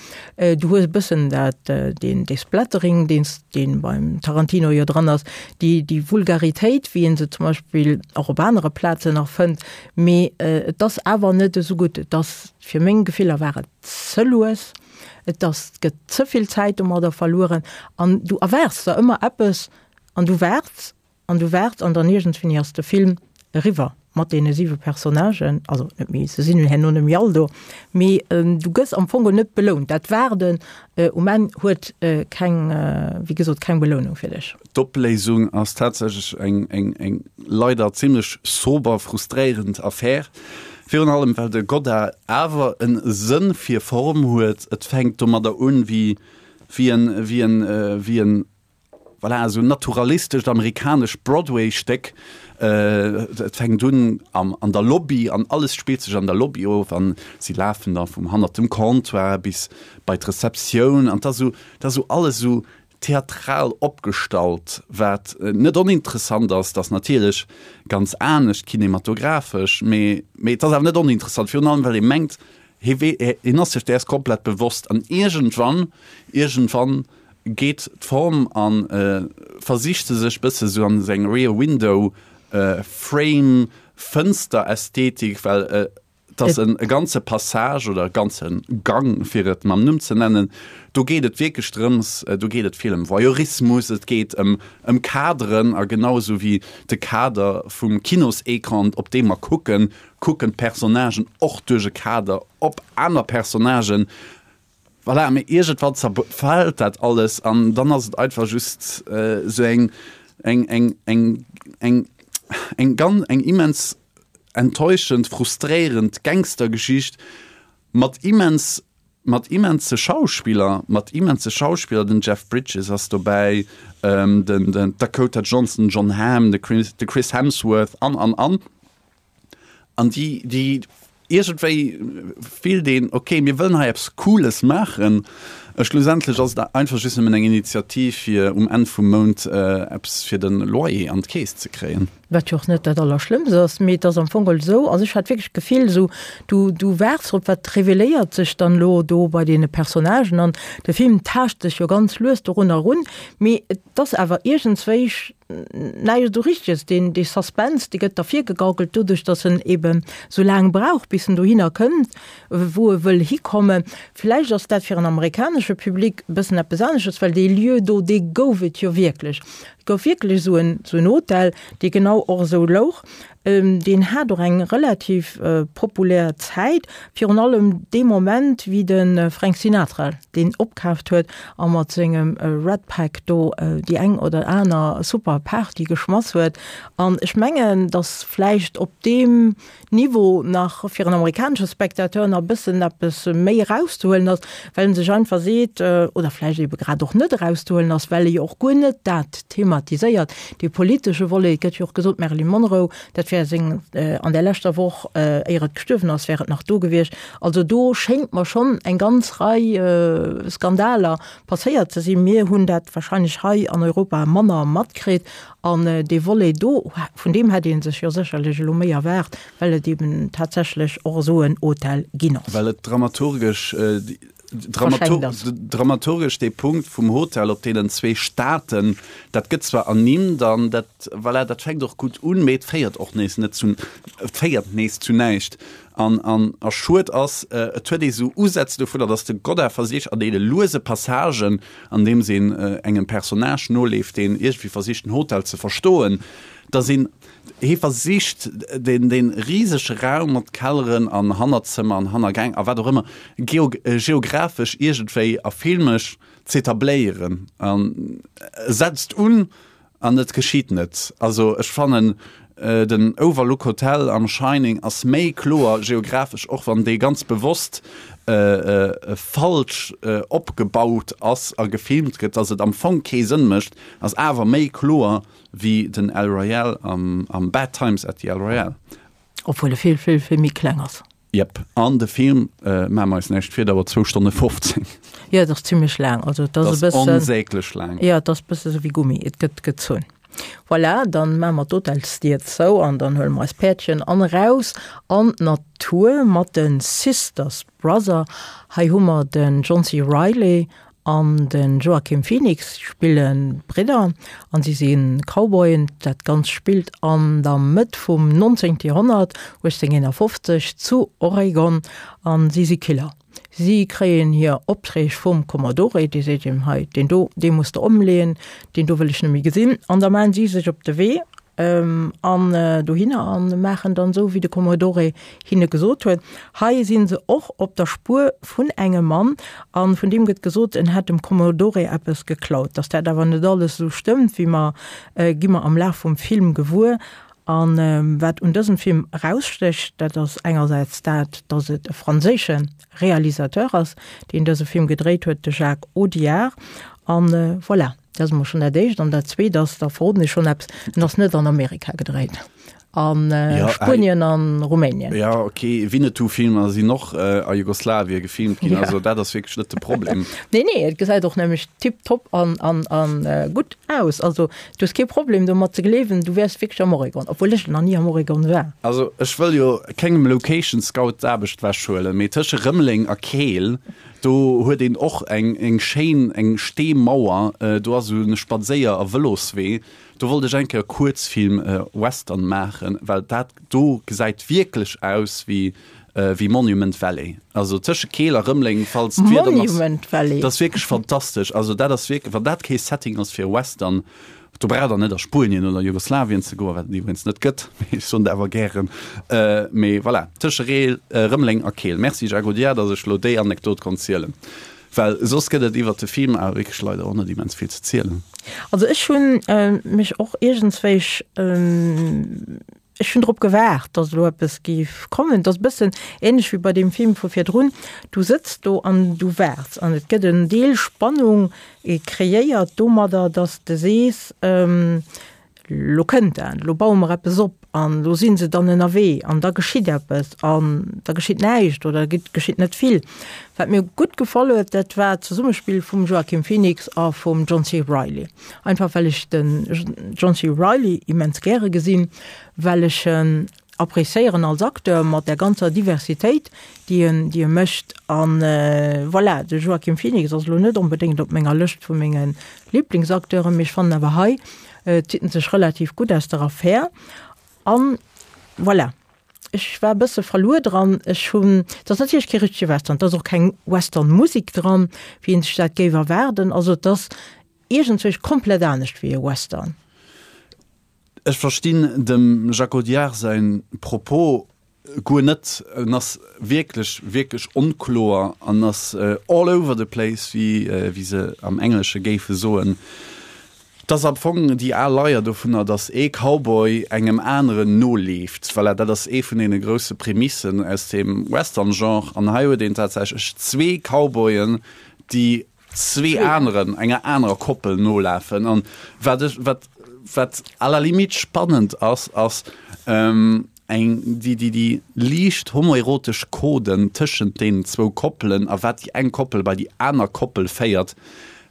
du hues e bëssen dat, deen, dee Splattering, deen s, dee beim Tarantino jo dran ass, déi, déi Vulgaritéit, wéi ee se zum Beispill och op anere Plazen nach fënnt, mee et ass awer net esou gutt. Et ass, fir meng Gefiller war et ze lues, et ass, et gëtt ze vill Zäit domadder verlueren an du erwaarts der ëmmer eppes an du waarts An du waarts an dann iergendswéini ass de Film eriwwer mat deene siwe Personnagen, also net méi, se sinn herno net méi all do, mee du gëss am Fong net belount. Dat Waarden um Enn huet keng, wéi gesot, keng Belounung fir dech. D'Opléisung ass tatsächlech eng, eng, eng leider zimlech sober, frustréierend Affär. Virun allem well de Godard awer en Sënn fir Form huet. Et fänkt domadder un, wéi, wéi en, wéi en, wéi en Voilà, esou en naturalistescht amerikanescht Broadway-Stéck. Et fänkt un am, an der Lobby an alles spillt sech an der Lobby of an si lafen da vum hannert dem Comptoir bis bei d'Rezeptioun an 't ass esou, 't ass esou alles esou theatral opgestallt, wat net oninteressant ass. 't ass natierlech ganz anescht kinematographesch, mee, mee et ass awer net oninteressant, virun allem well ee mengt, hie wee, hien ass sech däers komplett bewosst an iergendwann, iergendwann geet d'Form an versicht se sech bësse sou an seng Rear Window Frame Fënster Ästhetik, well et ass en ganze Passage oder e ganze Gang fir et mam Numm ze nennen, do geet et wierklech drëms, do geet et vill ëm Voyeurismus, et geet ëm ëm Kaderen a genau esou wéi de Kader vum Kinosecran op dee mer kucken, kucken d'Personnagen och duerch e Kader op aner Personnagen. Voilà, mee iergendwann zerfält dat alles an dann ass et einfach just esou eng, eng, eng, eng, eng, eng ganz, eng immens enttäuschend, frustréierend Gangstergeschicht mat immens. Mat immense Schauspiller, mat immense Schauspiller, den Jeff Bridges ass dobäi, den den Dakota Johnson, Jon Hamm, de Chris, de Chris Hemsworth an an an. An déi déi iergendwéi fillt een, ok, mir wëllen hei eppes Cooles maachen. A schlussendlech ass et einfach just nëmmen eng Initiativ fir um Enn vum Mount eppes fir de Loyer an d'Keess ze kréien. Wat jo och net dat Allerschlëmmst ass, mee et ass am Fong geholl esou, also ech hat wierklech d'Gefill esou, du, du waarts drop, wat reveléiert sech dann elo do bei deene Personnagen an de Film taascht sech jo ganz lues dorunner erun, mee et ass awer iergendswéi näischt esou Richteges, deen, dee Suspense, dee gëtt der virgegaukelt doduerch, datt en eeben esou laang brauch, bis en dohinner kënnt, wou e wëll hikommen. Vläicht ass dat fir en amerikanesche Public e bëssen eppes anesches, well dee Lieu do, dee gouf et jo wierklech. Et gouf wierklech esou en, esou en Hotel, dee genau och esou louch. Deen hat och eng relativ populär Zäit, virun allem dee Moment, wéi de Frank Sinatra deen opkaaft huet a mat sengem Rat Pack do déi eng oder aner super Party geschmass huet. An ech mengen, datt vläicht op deem Niveau nach fir en amerikanesche Spectateur nach e bëssen eppes méi erauszehuelen ass, well en sech einfach seet, oder vläicht ebe grad och net erauszehuelen ass, well e jo och guer net dat thematiséiert, dee politesche Volet. Et gëtt jo och gesot, d'Marilyn Monroe, dat wär seng, an där leschter Woch, éier et gestuerwen ass, wär et nach do gewiescht. Also do schéngt mer schonn eng ganz Rei Skandaler passéiert ze sinn. Mir hunn dat wahrscheinlech hei an Europa manner matkritt. An dee Volet do, vun deem hätt ee sech jo sécherlech elo méi erwaart, well et eben tatsächlech och esou en Hotel ginn ass. Well et dramaturgesch, dramaturgesch dee Punkt vum Hotel op deenen zwee Staaten, dat gëtt zwar ernimmt an dat, voilà, dat fänkt och gutt un, mee et féiert och nees net zu, et féiert nees zu näischt. An, an, a schued ass, et huet ee sou Usätz dovunner, datt de Godard versicht an deene luese Passagen, andeems een engem Personnage noleeft, deen iergendwéi versicht den Hotel ze verstoen, datt een, hie versicht deen, dee risege Raum mat Kelleren an Hannerzëmmer an Hannergäng a wat och ëmmer geo, geographesch iergendwéi a filmesch z'etabléieren an e setzt un An et geschitt net. Also ech fannen den Overlook Hotel am Shining ass méi kloer geographesch, och wann dee ganz bewosst falsch opgebaut ass a gefilmt gëtt, dass et am Fong kee Sënn mécht, ass awer méi kloer wéi den El Royale am Bad Times at the El Royale. Obwuel e vill, vill, vill méi kleng ass. Jep, an de Film, maache mer eis näischt vir, dauert zwou Stonne 15. Jo, et ass zimlech laang. Also et ass e bëssen. Onsäglech laang. Jo, et ass e bësse sou wéi Gummi, et gëtt gezunn. Voilà, dann maache mer d'Hotelsdier zou an dann huele mer eis Päerdchen an eraus an d'Natur mat de Sisters Brother. Hei hu mer den John C. Reilly An de Joaquin Phoenix spille Bridder an si si Cowboyen. Dat Ganzt spillt an der Mëtt vum 19. Joerhonnert, 1851, zu Oregon an si si Killer. Si kréien hir Opträg vum Commodore, dee seet him, hei deen do, dee muss de ëmleeën, deen do wëll ech net méi gesinn. An da maachen si sech op de Wee an dohinner an maachen dann esou wéi de Commodore hinne gesot huet. Hei sinn se och op der Spuer vun engem Mann an vun deem gëtt gesot en hätt dem Commodore eppes geklaut. Dass dat awer net alles esou stëmmt wéi mer gi mer am Laf vum Film gewuer. An wat un dësem Film erausstécht, dat ass engersäits dat, dass et e franséische Realisateur ass, deen dëse Film gedréit huet, de Jacques Audiard. An voilà. Dat ass emol schonn dat Éischt. An dat Zweet ass, da verroden ech schonn eppes, en ass net an Amerika gedréit, a Spuenien a Rumänien. Ja, ok, Winnetou-Filmer sinn och a Jugoslawien gefilmt ginn, also dat ass wierklech net de Problem. Nee, nee, et gesäit och nämlech tiptop an, an, an gutt aus. Also du hues kee Problem domat ze gleewen, du wäers wierklech am Oregon, obwuel ech nach ni am Oregon war. Also ech wëll jo kengem Location Scout d'Aarbecht wechhuelen, mee tësche Rëmeleng a Keel Do huet een och eng eng schéin eng Steemauer, do ass esou en Spadséier a Vëloswee. Do wollt ech eng Kéier e Kuerzfilm Western maachen, well dat do gesäit wierklech aus wéi wéi Monument Valley. Also tësche Keel a Rëmeleng, falls d'Wieder nach. Monument Valley. Dat ass wierklech fantastesch. Also dat ass wierklech, wann dat kee Setting ass fir e Western, Do braucht der net a Spuenien oder Jugoslawien ze goen, wat et iwwregens net gëtt, mee ech soen et awer gären. Mee voilà, tësche Reel, Rëmeleng a Keel. Merci Jacques Audiard, datt ech elo déi Anekdot konnt zielen, well soss gëtt et iwwert de Film awer wierklech leider och net immens vill ze zielen. Also ech hunn mech och iergendswéich. Ech hunn drop gewaart, datt elo eppes géif kommen. Et ass e bëssen ähnlech wéi bei deem Film vu virdrun. Du sëtz do an du waarts an et gëtt en Deel Spannung kreéiert domadder, datt s de sees, Lo kënnt dat, lo baue mer eppes op an lo si se dann ënnerwee an da geschitt eppes an da geschitt näischt oder geschitt net vill. Wat mir gutt gefall huet, dat war d'Zesummespill vum Joaquin Phoenix a vum John C. Reilly. Einfach well ech den John C. Reilly immens gäre gesinn, well ech en appréciéieren als Acteur mat der ganzer Diversitéit, déi en, déi e mécht. An voilà, de Joaquin Phoenix ass elo net onbedéngt op menger Lëscht vu menge Liblingsacteuren, mee ech fannen awer hei zitt en sech relativ gutt aus der Affär. An voilà. Ech war e bësse verluer dran. Ech hunn, et ass natierlech kee richtege Western, et ass och keng Western-Musek dran, wéi een sech dat géif erwaarden. Also et ass iergendzwousch komplett anescht wéi e Western. Ech verstinn dem Jacques Audiard säin Propos guer net. En ass wierklech, wierklech onkloer an ass all over the place, wéi se am Englesche géife soen. 't ass am Fong déi al Leier dovunner, datt ee Cowboy engem aneren noleeft. Voilà, dat ass ee vun deene grousse Prämissen aus dem Western-Genre. An hei huet een tatsächlech zwee Cowboyen, déi zwee aneren, enger anerer Koppel nolafen. An wat ech, wat, wat à la limite spannend ass, ass eng, déi, déi, déi liicht homoerotesch Coden tëschent deenen zwou Koppelen a wat déi eng Koppel bei déi aner Koppel féiert.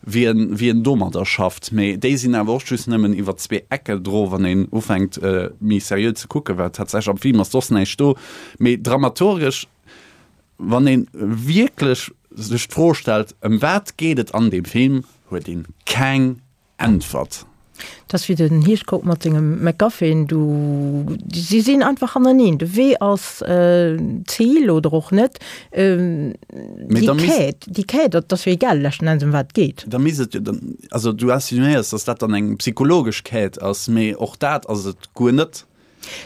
wien wien domadder schafft, mee déi sinn awer och just nëmmen iwwer zwee Ecke dro, wann een ufänkt méi seriö ze kucken, well tatsächlech am Film ass soss näischt do. Mee dramaturgesch, wann ee wierklech sech d'Fro stellt, ëm wat geet et an deem Film, huet een keng Äntwert. Et ass wéi den Hitchcock mat sengem MacGuffin, du, si sinn einfach hannereen. De Wee ass d'Zil oder och net. Déi Quête, déi Quête, dat ass jo egal leschten Enns ëm wat et geet. Da misst et jo dann, also du insinuéiers, datt dat dann eng psychologesch Quête ass, mee och dat ass et guer net.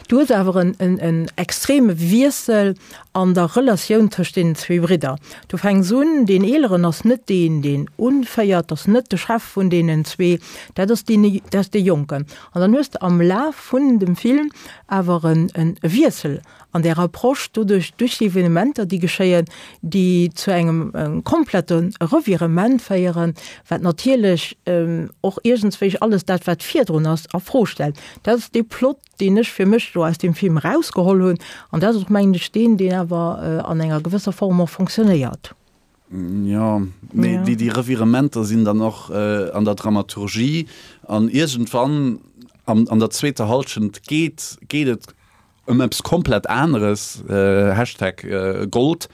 Du hues awer en extreme Wiessel an der Relatioun tëscht deenen zwee Bridder. Du fänks un, deen Eeleren ass net deen, deen unféiert, ass net de Chef vun deenen zwee, dat ass deen, dat ass dee Jonken. An dann hues de am Laf vun dem Film awer e Wiessel an där Approche, doduerch, duerch déi Evenementer, déi geschéien, déi zu engem komplette Revirement féieren, wat natierlech och iergendswéi alles dat, wat virdrun ass, a Fro stellt. Dat ass dee Plot, deen ech fir mech do aus deem Film erausgeholl hunn. An dat ass och, mengen ech, deen, deen awer an enger gewësser Form och fonctionnéiert. Jo, mee déi, déi Revirementer sinn dann och an der Dramaturgie an iergendwann an, an der zweeter Hallschent geet, geet et ëm eppes komplett aneres, Hashtag Gold.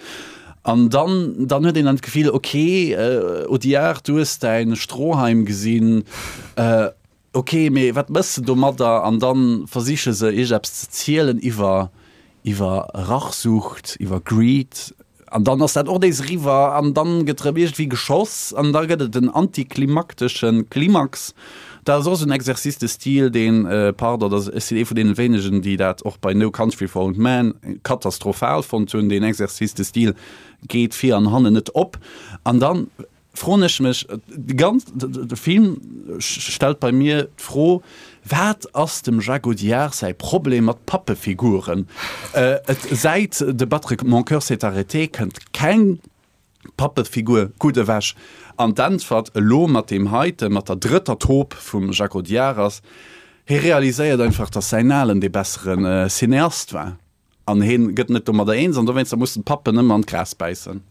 An dann, dann huet een dann d'Gefill, okay, Audiard, du hues däin Stroheim gesinn, Ok, mee wat mëss de domadder? An dann versiche se iergendeppes ze zielen iwwer iwwer Rachsucht, iwwer Greed. An dann ass dat och nees eriwwer an dann gëtt erëm iergendwéi geschoss an da gëtt et en antiklimakteschen Klimax. Dat ass och esou en Exercice de style, deen, pardon, dat ech sinn ee vun deene wéinegen, déi dat och bei No Country for Old Men katastrophal fonnt hunn, deen Exercice de style geet vir an hannen net op. An dann Froen ech mech, de ganz, de Film stellt bei mir d'Fro, wat ass dem Jacques Audiard säi Problem mat Pappefiguren? Et säit De battre mon cœur s'est arrêté kënnt keng Pappefigur gutt ewech. An d'Äntwert elo mat deem heite, mat der drëtter Taupe vum Jacques Audiard ass, hie realiséiert einfach, datt säin Alen dee bessere Cineast war. An heen gëtt net domadder eens an dowéinster mussen d'Pappen ëmmer an d'Gras bäissen.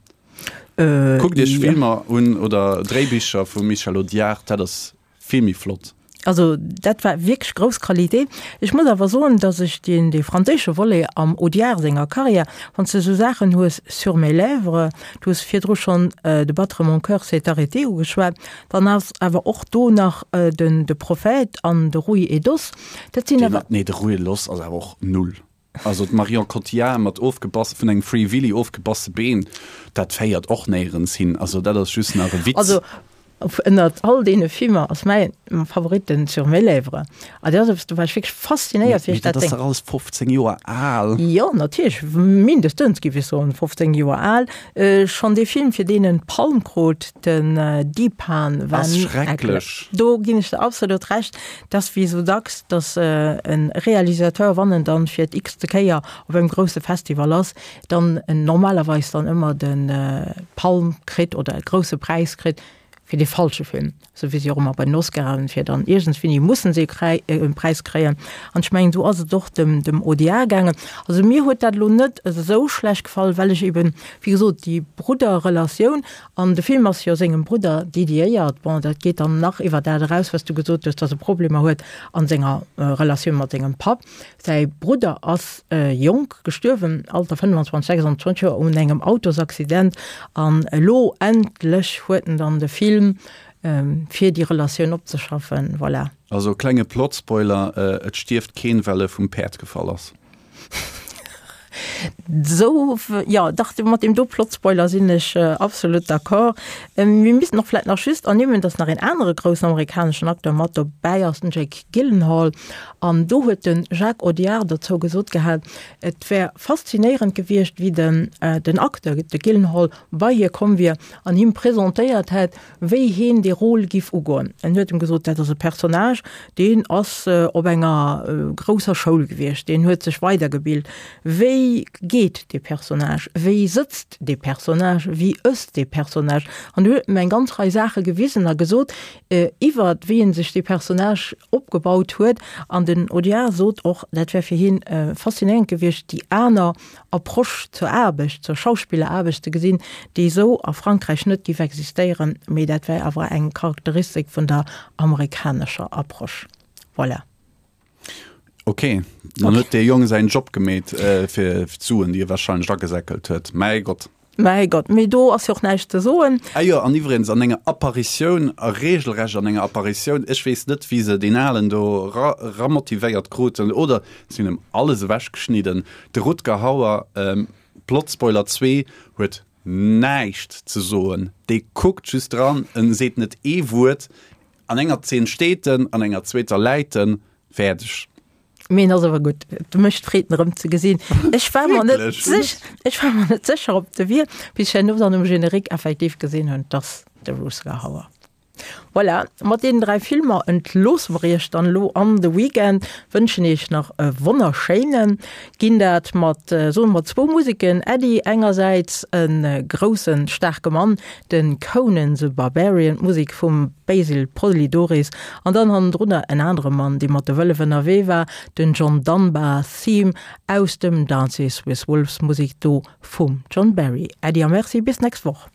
Kuckt iech Filmer un oder Dréibicher vum Michel Audiard, dat ass vill méi flott. Also dat war wierklech grouss Qualité. Ech muss awer soen, datt ech deen dee franséische Volet am Audiard senger Carrière, wann s de esou Saachen hues, Sur mes lèvres, du hues virdru schonn De battre mon cœur s'est arrêté ugeschwat, dann ass awer och do nach den De Prophète an de Rouille et d'os, Dat sinn awer. Nee, de Rouille Loss ass awer och null. Also d'Marion Cotillard mat ofgebass, vun engem Free Willy ofgebasse Been, dat féiert och néierens hin. Also dat ass just nach e Witz. Also. Ënnert all deene Filmer ass mäi Favorit den Sur mes lèvres. A dat ass eppes, do war ech wierklech faszinéiert, wéi ech dat. Mee dat ass dach alles 15 Joer al. Jo, natierlech, mindestens géif ech soen, 15 Joer al. Schonn dee Film, fir deen en d'Palm krut, den Dheepan, war. Ass schrecklech. Do ginn ech der absolut Recht. Et ass wéi esou dacks, datt e Realisateur, wann en dann fir d'x-te Kéier op engem grousse Festival ass, dann normalerweis dann ëmmer de Palm kritt oder e grousse Präis kritt fir dee falsche Film, sou wéi se och ëmmer bei den Oscaren, fir dann iergendswéini mussen se e Präis kréien. An ech mengen, esou ass et och dem dem Audiard gaangen. Also mir huet dat elo net esou schlecht gefall, well ech eben, wéi gesot, déi Brudderrelatioun, an de Film ass jo sengem Brudder dediéiert, bon, dat geet dann nach iwwer dat eraus, wat s du gesot hues, datt e Problemer huet a senger Relatioun mat sengem Papp. Säi Brudder ass jonk gestuerwen, Alter 25, 26 Joer, un engem Autosaccident. An elo endlech huet en dann de Film, fir déi Relatioun opzeschaffen. Voilà. Also klenge Plot-Spoiler, Et stierft keen, well e vum Päerd gefall ass. Sou, jo, dach, mat deem do Plot-Spoiler sinn ech absolut d'accord. Mir missten och vläit nach just ernimmen, dass nach een anere groussen amerikaneschen Acteur mat dobäi ass, den Jake Gyllenhaal. An do huet de Jacques Audiard dozou gesot gehat, et wär faszinéierend gewiescht, wéi den den Acteur, de Gyllenhaal, bei hie komm wier an him presentéiert hätt, wéi heen dee Rôle giff ugoen. En huet em gesot, dat ass e Personnage, deen ass op enger grousser Schoul gewiescht, deen huet sech weidergebilt. Wéi geet dee Personnage? Wéi sëtzt dee Personnage? Wéi ësst dee Personnage? An huet em eng ganz Rei Saache gewisen a gesot, iwwert wéi en sech dee Personnage opgebaut huet. An den Audiard sot och, dat wär fir hien faszinéierend gewiescht, déi aner Approche zur Aarbecht, zur Schauspilleraarbecht ze gesinn, déi esou a Frankräich net géif existéieren, mee dat wär awer eng Charakteristik vun der amerikanescher Approche. Voilà. Ok, dann huet dee Jong säin Job gemeet fir d'Suen, déi e warscheinlech agesäckelt huet. Mäi Gott. Mäi Gott, mee do ass jo och näischt ze soen. Ah jo, an iwwregens an enger Apparitioun, a regelrecht an enger Apparitioun, ech weess net, wéi se deen Alen do ra ramotivéiert kruten, oder si hunn em alles ewechgeschnidden, de Rutger Hauer, Plotspoiler 2, huet näischt ze soen, dee kuckt just dran, en seet net ee Wuert, an enger Zeen steet en, an enger zweeter läit en, fäerdeg. Mee en ass awer gutt. Et mécht Freed en erëm ze gesinn. Ech war mer net sech, ech war mer net sécher ob de wier, bis ech herno dann um Générique effektiv gesinn hunn, dass de Rutger Hauer. Voilà, mat deenen 3 Filmer entloosse mer iech dann elo an de Weekend, wënschen iech nach e wonnerschéinen, ginn dat mat, soe mer zwou Museken, Äddi, engersäits e groussen, staarke Mann, de Conan the Barbarian, d'Musek vum Basil Polydoris, an dann hannendrunner en anere Mann, dee mat de Wëllef ënnerwee war, den John Dunbar, Theme aus dem Dances with Wolves, Musek do vum John Barry. Äddi a Merci, bis nächst Woch.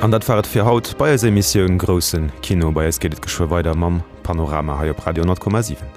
An dat war et fir haut bei eiser Emissioun Grousse Kino. Bei eis geet et geschwë weider mam Panorama hei op Radio 10,7.